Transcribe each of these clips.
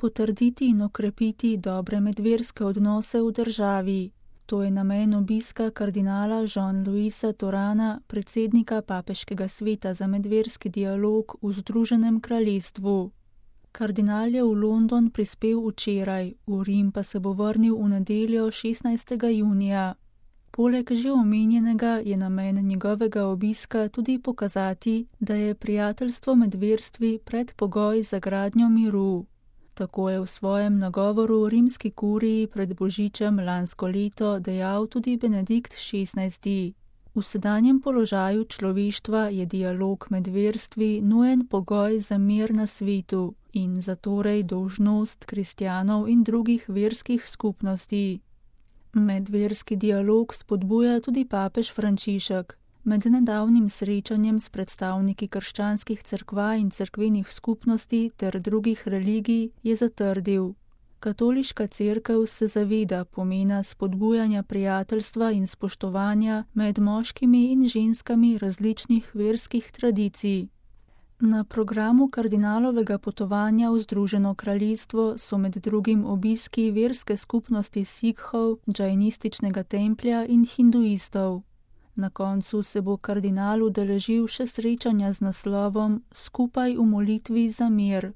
potrditi in okrepiti dobre medverske odnose v državi. To je namen obiska kardinala Jean-Louisa Torana, predsednika Papeškega sveta za medverski dialog v Združenem kraljestvu. Kardinal je v London prispel včeraj, v Rim pa se bo vrnil v nedeljo 16. junija. Poleg že omenjenega je namen njegovega obiska tudi pokazati, da je prijateljstvo med verstvi predpogoj za gradnjo miru. Tako je v svojem nagovoru rimski kuriji pred božičem lansko leto dejal tudi Benedikt XVI. V sedanjem položaju človeštva je dialog med verstvi nujen pogoj za mir na svetu in zatorej dolžnost kristjanov in drugih verskih skupnosti. Medverski dialog spodbuja tudi papež Frančišek. Med nedavnim srečanjem s predstavniki krščanskih cerkva in cerkvenih skupnosti ter drugih religij je zatrdil: Katoliška cerkev se zaveda pomena spodbujanja prijateljstva in spoštovanja med moškimi in ženskami različnih verskih tradicij. Na programu kardinalovega potovanja v Združeno kraljestvo so med drugim obiski verske skupnosti Sikhov, džainističnega templja in hinduistov. Na koncu se bo kardinal udeležil še srečanja z naslovom Skupaj v molitvi za mir.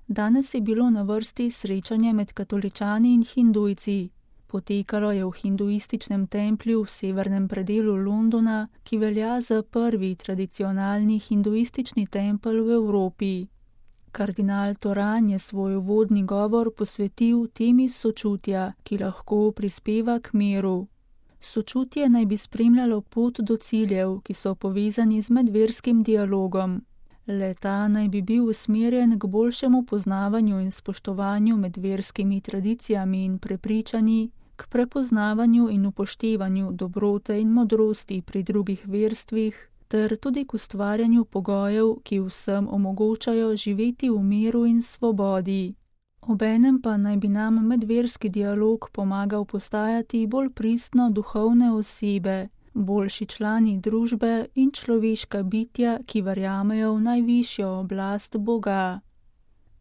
Danes je bilo na vrsti srečanje med katoličani in hindujci. Potekalo je v hinduističnem templju v severnem predelu Londona, ki velja za prvi tradicionalni hinduistični tempelj v Evropi. Kardinal Toran je svoj uvodni govor posvetil temi sočutja, ki lahko prispeva k miru. Sočutje naj bi spremljalo pot do ciljev, ki so povezani z medverskim dialogom. Le-ta naj bi bil usmerjen k boljšemu poznavanju in spoštovanju med verskimi tradicijami in prepričanji, k prepoznavanju in upoštevanju dobrote in modrosti pri drugih verstvih, ter tudi k ustvarjanju pogojev, ki vsem omogočajo živeti v miru in svobodi. Obenem pa naj bi nam medverski dialog pomagal postajati bolj pristno duhovne osebe, boljši člani družbe in človeška bitja, ki verjamejo v najvišjo oblast Boga.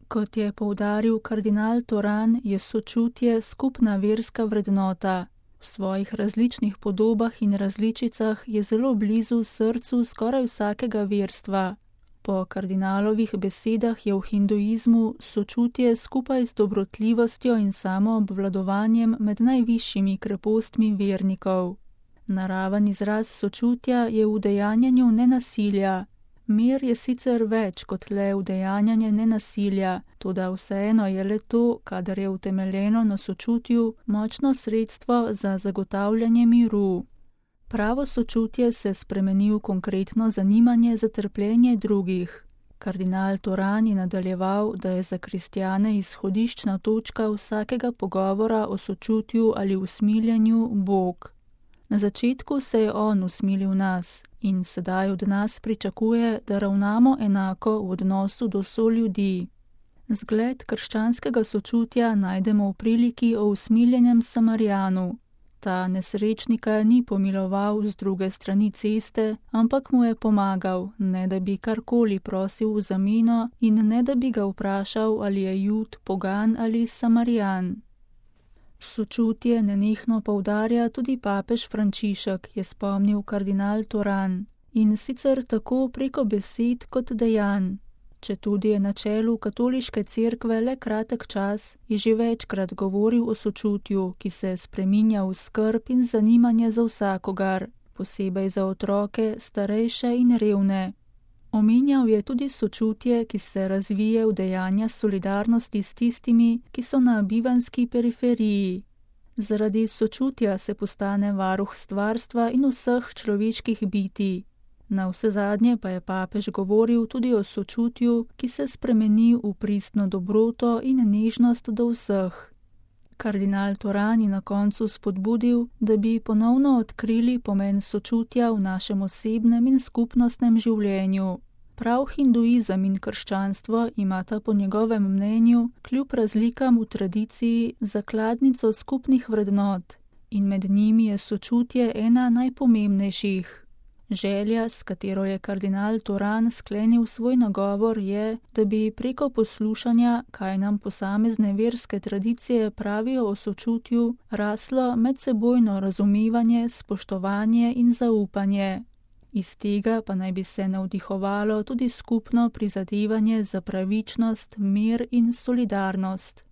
Kot je poudaril kardinal Toran, je sočutje skupna verska vrednota. V svojih različnih podobah in različicah je zelo blizu srcu skoraj vsakega verstva. Po kardinalovih besedah je v hinduizmu sočutje skupaj z dobrotljivostjo in samoobvladovanjem med najvišjimi krepostmi vernikov. Naraven izraz sočutja je v udejanjanju nenasilja. Mir je sicer več kot le udejanjanje nenasilja, toda vseeno je le to, kadar je utemeljeno na sočutju, močno sredstvo za zagotavljanje miru. Pravo sočutje se spremeni v konkretno zanimanje za trpljenje drugih. Kardinal Toran je nadaljeval, da je za kristjane izhodiščna točka vsakega pogovora o sočutju ali usmiljenju Bog. Na začetku se je on usmilil nas in sedaj od nas pričakuje, da ravnamo enako v odnosu do soljudi. Zgled krščanskega sočutja najdemo v priliki o usmiljenem Samarijanu. Ta nesrečnika ni pomiloval z druge strani ceste, ampak mu je pomagal, ne da bi karkoli prosil v zameno in ne da bi ga vprašal, ali je Jud, pogan ali Samarijan. Sočutje nenehno poudarja tudi papež Frančišek, je spomnil kardinal Toran, in sicer tako preko besed kot dejanj. Četudi je na čelu katoliške cerkve le kratek čas, je že večkrat govoril o sočutju, ki se spreminja v skrb in zanimanje za vsakogar, posebej za otroke, starejše in revne. Omenjal je tudi sočutje, ki se razvije v dejanja solidarnosti s tistimi, ki so na bivanski periferiji. Zaradi sočutja se postane varuh stvarstva in vseh človeških bitij. Na vsezadnje pa je papež govoril tudi o sočutju, ki se spremeni v pristno dobroto in nežnost do vseh. Kardinal Toran je na koncu spodbudil, da bi ponovno odkrili pomen sočutja v našem osebnem in skupnostnem življenju. Prav hinduizem in krščanstvo imata po njegovem mnenju kljub razlikam v tradiciji zakladnico skupnih vrednot in med njimi je sočutje ena najpomembnejših. Želja, s katero je kardinal Toran sklenil svoj nagovor, je, da bi preko poslušanja, kaj nam posamezne verske tradicije pravijo o sočutju, raslo medsebojno razumevanje, spoštovanje in zaupanje. Iz tega pa naj bi se navdihovalo tudi skupno prizadevanje za pravičnost, mir in solidarnost.